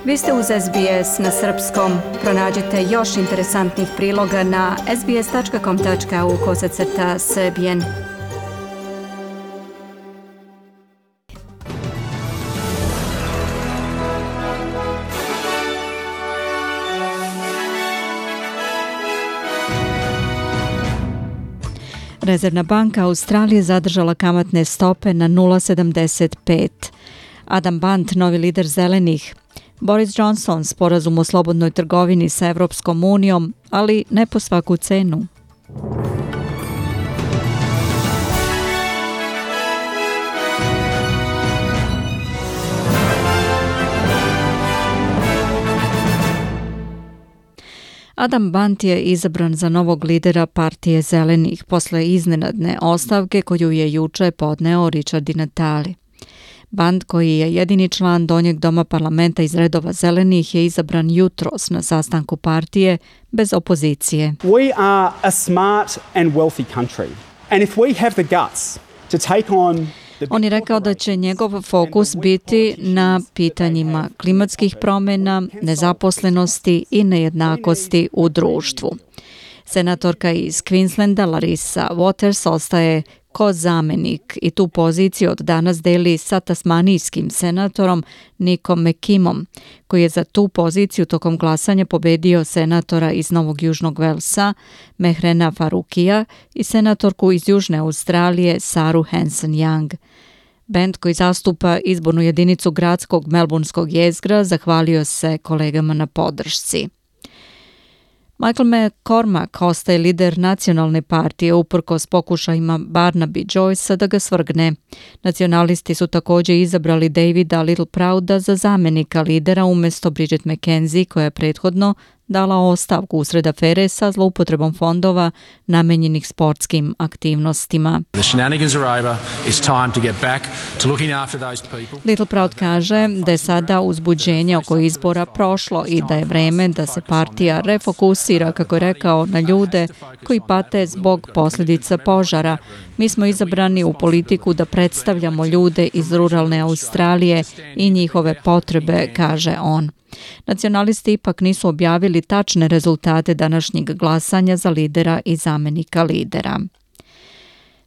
Vi ste uz SBS na srpskom. Pronađite još interesantnih priloga na sbs.com.au/srbijen. Rezervna banka Australije zadržala kamatne stope na 0,75. Adam Bant, novi lider zelenih. Boris Johnson, sporazum o slobodnoj trgovini sa Evropskom unijom, ali ne po svaku cenu. Adam Bant je izabran za novog lidera partije zelenih posle iznenadne ostavke koju je juče podneo Richard Di Natale. Bant, koji je jedini član donjeg doma parlamenta iz redova zelenih, je izabran jutros na sastanku partije bez opozicije. We are a smart and wealthy country. And if we have the guts to take on On je rekao da će njegov fokus biti na pitanjima klimatskih promjena, nezaposlenosti i nejednakosti u društvu. Senatorka iz Queenslanda Larissa Waters ostaje ko zamenik i tu poziciju od danas deli sa tasmanijskim senatorom Nickom McKimmom, koji je za tu poziciju tokom glasanja pobedio senatora iz Novog Južnog Velsa Mehrena Faruqija i senatorku iz Južne Australije Saru Hanson-Young. Band koji zastupa izbornu jedinicu gradskog melbourneskog jezgra zahvalio se kolegama na podršci. Michael McCormack ostaje lider nacionalne partije uprkos pokušajima Barnaby Joycea da ga svrgne. Nacionalisti su također izabrali Davida Littleprouda za zamenika lidera umjesto Bridget McKenzie, koja je prethodno dala ostavku usred afere sa zloupotrebom fondova namenjenih sportskim aktivnostima. Littleproud kaže da je sada uzbuđenje oko izbora prošlo i da je vreme da se partija refokusira, kako je rekao, na ljude koji pate zbog posljedica požara. Mi smo izabrani u politiku da predstavljamo ljude iz ruralne Australije i njihove potrebe, kaže on. Nacionalisti ipak nisu objavili tačne rezultate današnjeg glasanja za lidera i zamenika lidera.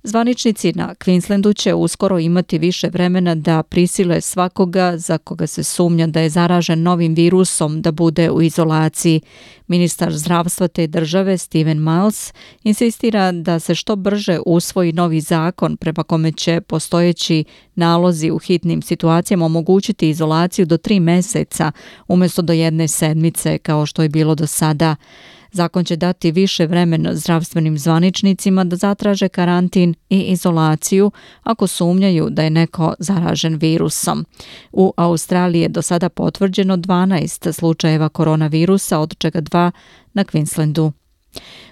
Zvaničnici na Queenslandu će uskoro imati više vremena da prisile svakoga za koga se sumnja da je zaražen novim virusom da bude u izolaciji. Ministar zdravstva te države Stephen Miles insistira da se što brže usvoji novi zakon prema kome će postojeći nalozi u hitnim situacijama omogućiti izolaciju do 3 mjeseca umjesto do 1 sedmice kao što je bilo do sada. Zakon će dati više vremena zdravstvenim zvaničnicima da zatraže karantin i izolaciju ako sumnjaju da je neko zaražen virusom. U Australiji je do sada potvrđeno 12 slučajeva koronavirusa, od čega 2 na Queenslandu.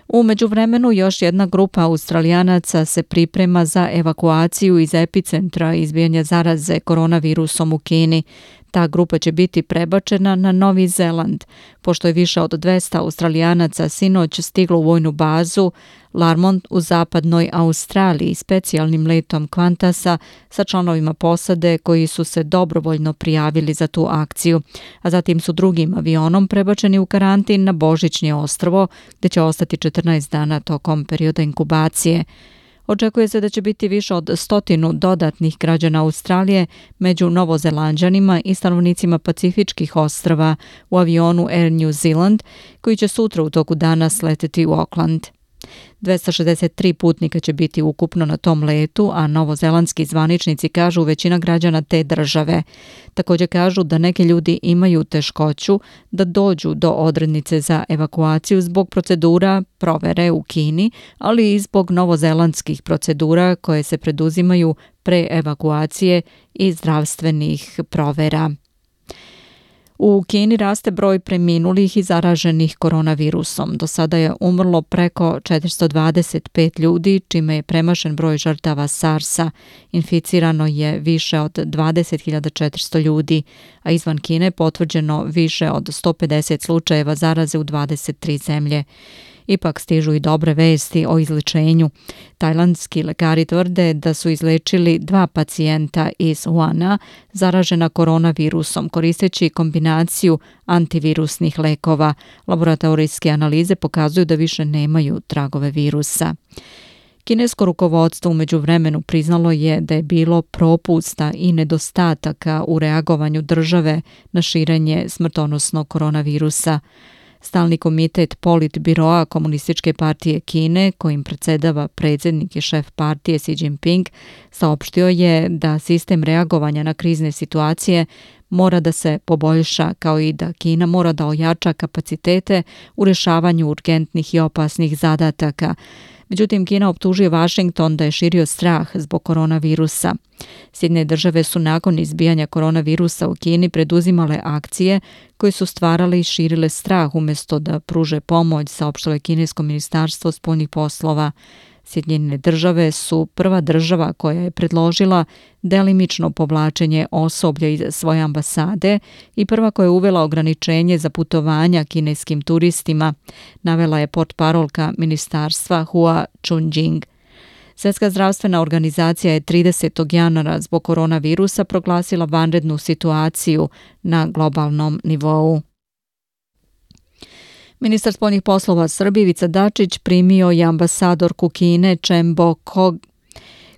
U međuvremenu još jedna grupa Australijanaca se priprema za evakuaciju iz epicentra izbijanja zaraze koronavirusom u Kini. Ta grupa će biti prebačena na Novi Zeland, pošto je više od 200 Australijanaca sinoć stiglo u vojnu bazu Larmont u zapadnoj Australiji specijalnim letom Qantasa sa članovima posade koji su se dobrovoljno prijavili za tu akciju, a zatim su drugim avionom prebačeni u karantin na Božićnje ostrvo, gdje će ostati 14 dana tokom perioda inkubacije. Očekuje se da će biti više od 100 dodatnih građana Australije među Novozelanđanima i stanovnicima Pacifičkih ostrva u avionu Air New Zealand, koji će sutra u toku dana sleteti u Auckland. 263 putnika će biti ukupno na tom letu, a novozelandski zvaničnici kažu većina građana te države. Također kažu da neki ljudi imaju teškoću da dođu do odrednice za evakuaciju zbog procedura provere u Kini, ali i zbog novozelandskih procedura koje se preduzimaju pre evakuacije i zdravstvenih provera. U Kini raste broj preminulih i zaraženih koronavirusom. Do sada je umrlo preko 425 ljudi, čime je premašen broj žrtava SARS-a. Inficirano je više od 20.400 ljudi, a izvan Kine potvrđeno više od 150 slučajeva zaraze u 23 zemlje. Ipak stižu i dobre vesti o izlečenju. Tajlandski lekari tvrde da su izlečili 2 pacijenta iz Wuhana zaražena koronavirusom koristeći kombinaciju antivirusnih lekova. Laboratorijske analize pokazuju da više nemaju tragove virusa. Kinesko rukovodstvo u međuvremenu priznalo je da je bilo propusta i nedostataka u reagovanju države na širenje smrtonosnog koronavirusa. Stalni komitet Politbiroa Komunističke partije Kine, kojim predsjedava predsjednik i šef partije Xi Jinping, saopštio je da sistem reagovanja na krizne situacije mora da se poboljša, kao i da Kina mora da ojača kapacitete u rješavanju urgentnih i opasnih zadataka. Međutim, Kina optužuje Washington da je širio strah zbog koronavirusa. Sjedinjene države su nakon izbijanja koronavirusa u Kini preduzimale akcije koje su stvarale i širile strah umjesto da pruže pomoć, saopštilo je kinesko ministarstvo spoljnih poslova. Sjedinjene države su prva država koja je predložila delimično povlačenje osoblja iz svoje ambasade i prva koja je uvela ograničenje za putovanja kineskim turistima, navela je portparolka ministarstva Hua Chunying. Svjetska zdravstvena organizacija je 30. januara zbog koronavirusa proglasila vanrednu situaciju na globalnom nivou. Ministar spoljnih poslova Srbije Ivica Dačić primio je ambasadorku Kine Chen Bo-kog,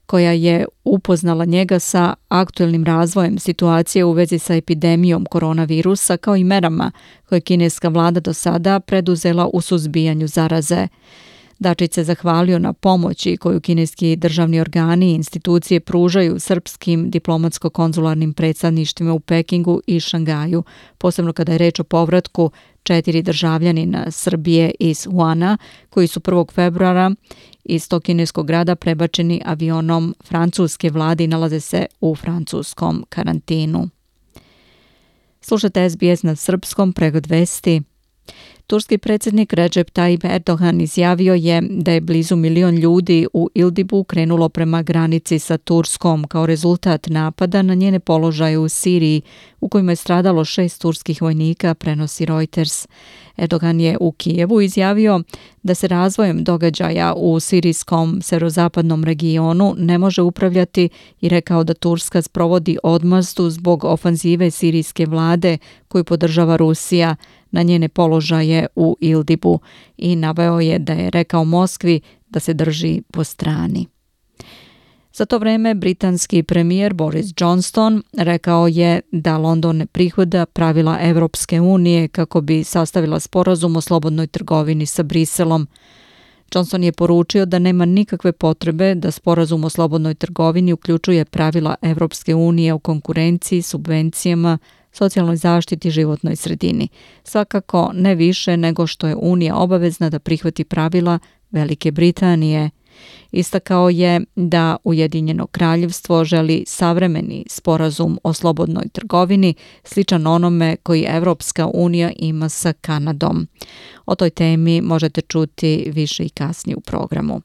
koja je upoznala njega sa aktuelnim razvojem situacije u vezi sa epidemijom koronavirusa kao i merama koje kineska vlada do sada preduzela u suzbijanju zaraze. Dačić se zahvalio na pomoći koju kineski državni organi i institucije pružaju srpskim diplomatsko-konzularnim predstavništvima u Pekingu i Šangaju, posebno kada je reč o povratku 4 državljanina Srbije iz Wuhana, koji su 1. februara iz tog kineskog grada prebačeni avionom francuske vlade i nalaze se u francuskom karantinu. Slušate SBS na srpskom, pregled vesti. Turski predsjednik Recep Tayyip Erdogan izjavio je da je blizu 1 milion ljudi u Idlibu krenulo prema granici sa Turskom kao rezultat napada na njene položaje u Siriji, u kojima je stradalo 6 turskih vojnika, prenosi Reuters. Erdogan je u Kijevu izjavio da se razvojem događaja u sirijskom severozapadnom regionu ne može upravljati i rekao da Turska sprovodi odmazdu zbog ofanzive sirijske vlade koju podržava Rusija na njene položaje u Idlibu i naveo je da je rekao Moskvi da se drži po strani. Za to vrijeme britanski premijer Boris Johnson rekao je da London ne prihvata pravila Evropske unije kako bi sastavila sporazum o slobodnoj trgovini sa Briselom. Johnson je poručio da nema nikakve potrebe da sporazum o slobodnoj trgovini uključuje pravila Evropske unije o konkurenciji, subvencijama, socijalnoj zaštiti i životnoj sredini. Svakako ne više nego što je Unija obavezna da prihvati pravila Velike Britanije. Istakao je da Ujedinjeno kraljevstvo želi savremeni sporazum o slobodnoj trgovini, sličan onome koji Evropska unija ima sa Kanadom. O toj temi možete čuti više i kasnije u programu.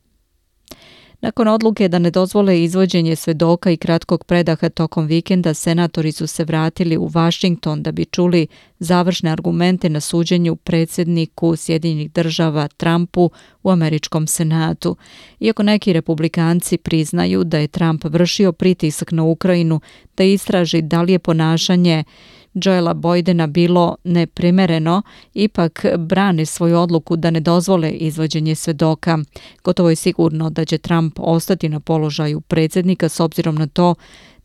Nakon odluke da ne dozvole izvođenje svedoka i kratkog predaha tokom vikenda, senatori su se vratili u Washington da bi čuli završne argumente na suđenju predsjedniku Sjedinjenih država Trumpu u američkom senatu. Iako neki republikanci priznaju da je Trump vršio pritisak na Ukrajinu da istraži da li je ponašanje Joela Bidena bilo neprimereno, ipak brane svoju odluku da ne dozvole izvođenje svedoka. Gotovo je sigurno da će Trump ostati na položaju predsjednika s obzirom na to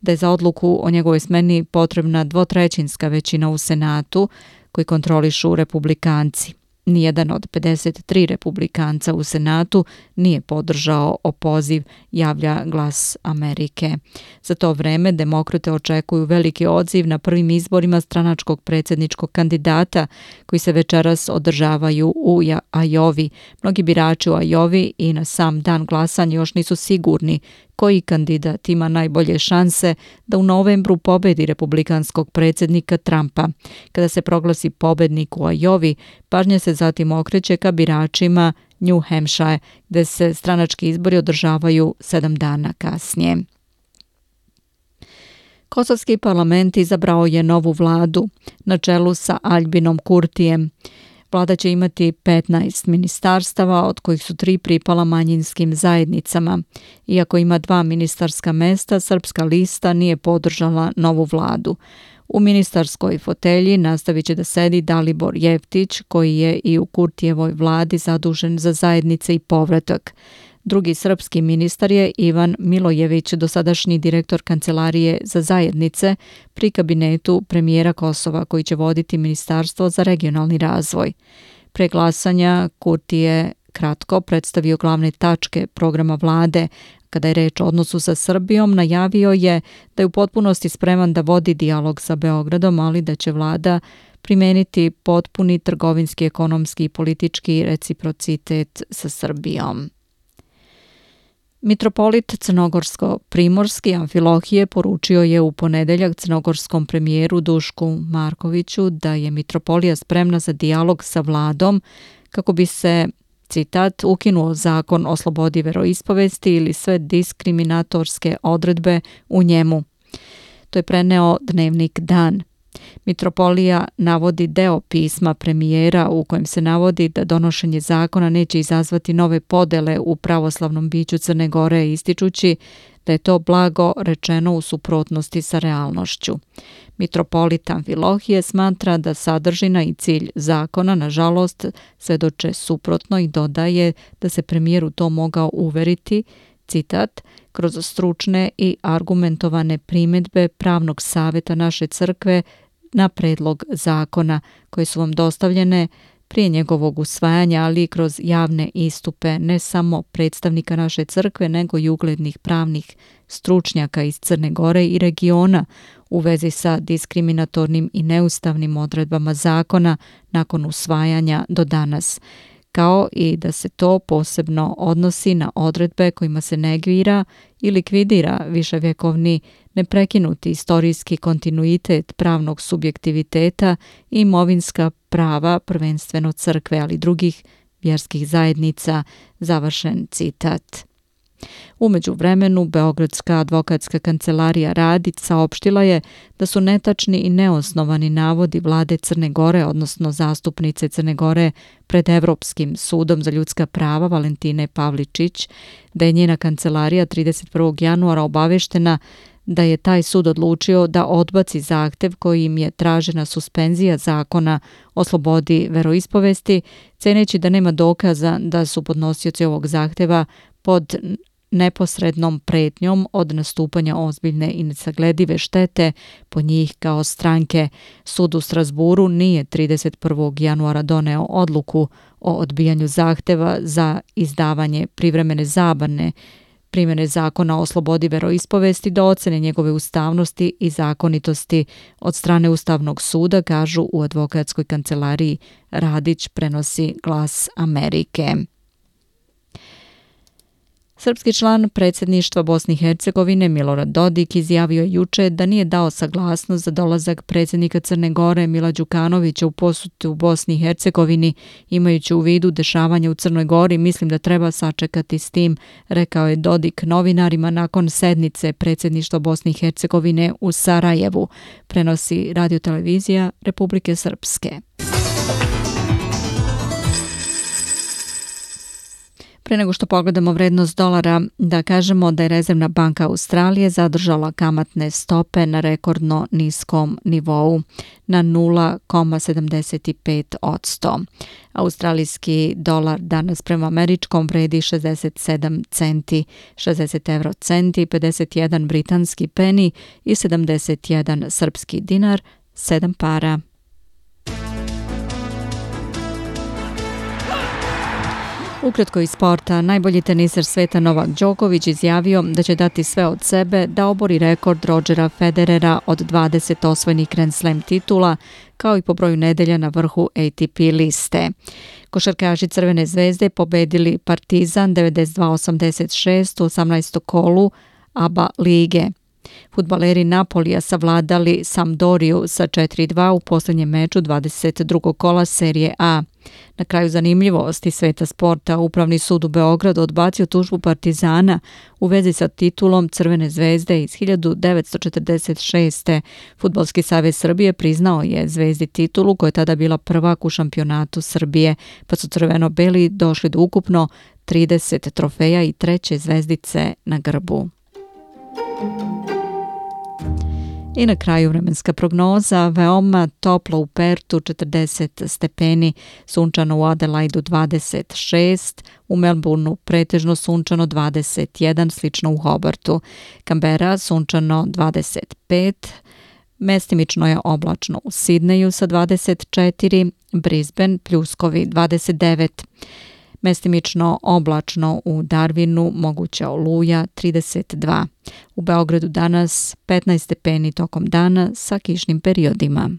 da je za odluku o njegovoj smeni potrebna 2/3 većina u Senatu koji kontrolišu republikanci. Nijedan od 53 republikanca u Senatu nije podržao opoziv, javlja Glas Amerike. Za to vreme demokrate očekuju veliki odziv na prvim izborima stranačkog predsjedničkog kandidata koji se večeras održavaju u Ajovi. Mnogi birači u Ajovi i na sam dan glasanja još nisu sigurni koji kandidat ima najbolje šanse da u novembru pobedi republikanskog predsjednika Trumpa. Kada se proglasi pobednik u Ajovi, pažnja se zatim okreće ka biračima New Hampshire, gde se stranački izbori održavaju 7 dana kasnije. Kosovski parlament izabrao je novu vladu na čelu sa Aljbinom Kurtijem. Vlada će imati 15 ministarstava, od kojih su 3 pripala manjinskim zajednicama. Iako ima 2 ministarska mesta, Srpska lista nije podržala novu vladu. U ministarskoj fotelji nastavit će da sedi Dalibor Jeftić, koji je i u Kurtijevoj vladi zadužen za zajednice i povratak. Drugi srpski ministar je Ivan Milojević, dosadašnji direktor Kancelarije za zajednice pri kabinetu premijera Kosova, koji će voditi Ministarstvo za regionalni razvoj. Pre glasanja Kurti je kratko predstavio glavne tačke programa vlade. Kada je reč o odnosu sa Srbijom, najavio je da je u potpunosti spreman da vodi dijalog sa Beogradom, ali da će vlada primeniti potpuni trgovinski, ekonomski i politički reciprocitet sa Srbijom. Mitropolit crnogorsko-primorski Amfilohije poručio je u ponedeljak crnogorskom premijeru Dušku Markoviću da je mitropolija spremna za dijalog sa vladom kako bi se, citat, ukinuo zakon o slobodi veroispovesti ili sve diskriminatorske odredbe u njemu. To je preneo dnevnik Dan. Mitropolija navodi deo pisma premijera u kojem se navodi da donošenje zakona neće izazvati nove podele u pravoslavnom biću Crne Gore, ističući da je to blago rečeno u suprotnosti sa realnošću. Mitropolit Amfilohije smatra da sadržina i cilj zakona, nažalost, svedoče suprotno i dodaje da se premijeru to mogao uveriti, citat, kroz stručne i argumentovane primjedbe pravnog savjeta naše crkve na predlog zakona koje su vam dostavljene prije njegovog usvajanja, ali i kroz javne istupe ne samo predstavnika naše crkve, nego i uglednih pravnih stručnjaka iz Crne Gore i regiona u vezi sa diskriminatornim i neustavnim odredbama zakona nakon usvajanja do danas, kao i da se to posebno odnosi na odredbe kojima se negira i likvidira viševjekovni neprekinuti istorijski kontinuitet pravnog subjektiviteta i imovinska prava prvenstveno crkve, ali drugih vjerskih zajednica, završen citat. U međuvremenu, Beogradska advokatska kancelarija Radić saopštila je da su netačni i neosnovani navodi vlade Crne Gore, odnosno zastupnice Crne Gore pred Evropskim sudom za ljudska prava Valentine Pavličić, da je njena kancelarija 31. januara obaveštena da je taj sud odlučio da odbaci zahtev kojim je tražena suspenzija zakona o slobodi veroispovesti, ceneći da nema dokaza da su podnosioci ovog zahteva pod neposrednom pretnjom od nastupanja ozbiljne i nesagledive štete po njih kao stranke. Sud u Strasburu nije 31. januara doneo odluku o odbijanju zahteva za izdavanje privremene zabrane primjene zakona o slobodi veroispovesti do ocene njegove ustavnosti i zakonitosti od strane Ustavnog suda, kažu u advokatskoj kancelariji Radić, prenosi Glas Amerike. Srpski član predsjedništva Bosne i Hercegovine Milorad Dodik izjavio je juče da nije dao saglasnost za dolazak predsjednika Crne Gore Mila Đukanovića u posetu u Bosni i Hercegovini. Imajući u vidu dešavanje u Crnoj Gori, mislim da treba sačekati s tim, rekao je Dodik novinarima nakon sednice predsjedništva Bosne i Hercegovine u Sarajevu, prenosi radiotelevizija Republike Srpske. Pre nego što pogledamo vrednost dolara, da kažemo da je Rezervna banka Australije zadržala kamatne stope na rekordno niskom nivou na 0,75%. Australijski dolar danas prema američkom vredi 67 centi, 60 euro centi, 51 britanski peni i 71 srpski dinar, 7 para. Ukratko iz sporta, najbolji teniser sveta Novak Đoković izjavio da će dati sve od sebe da obori rekord Rodgera Federera od 20 osvojenih Grand Slam titula, kao i po broju nedelja na vrhu ATP liste. Košarkaši Crvene zvezde pobedili Partizan 92-86 u 18. kolu ABA lige. Fudbaleri Napolija savladali Sampdoriju sa 4-2 u posljednjem meču 22. kola serije A. Na kraju zanimljivosti sveta sporta, Upravni sud u Beogradu odbacio tužbu Partizana u vezi sa titulom Crvene zvezde iz 1946. Fudbalski savez Srbije priznao je Zvezdi titulu koja je tada bila prvak u šampionatu Srbije, pa su crveno-beli došli do ukupno 30 trofeja i 3. zvezdice na grbu. I na kraju vremenska prognoza, veoma toplo u Pertu 40 stepeni, sunčano u Adelaidu 26, u Melbourneu pretežno sunčano 21, slično u Hobartu. Canberra sunčano 25, mestimično je oblačno u Sidneju sa 24, Brisbane pljuskovi 29, mestimično oblačno u Darwinu, moguća oluja 32. U Beogradu danas 15 stepeni tokom dana sa kišnim periodima.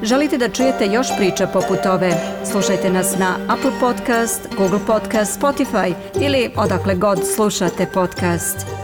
Želite da čujete još priča poput ove? Slušajte nas na Apple Podcast, Google Podcast, Spotify ili odakle god slušate podcast.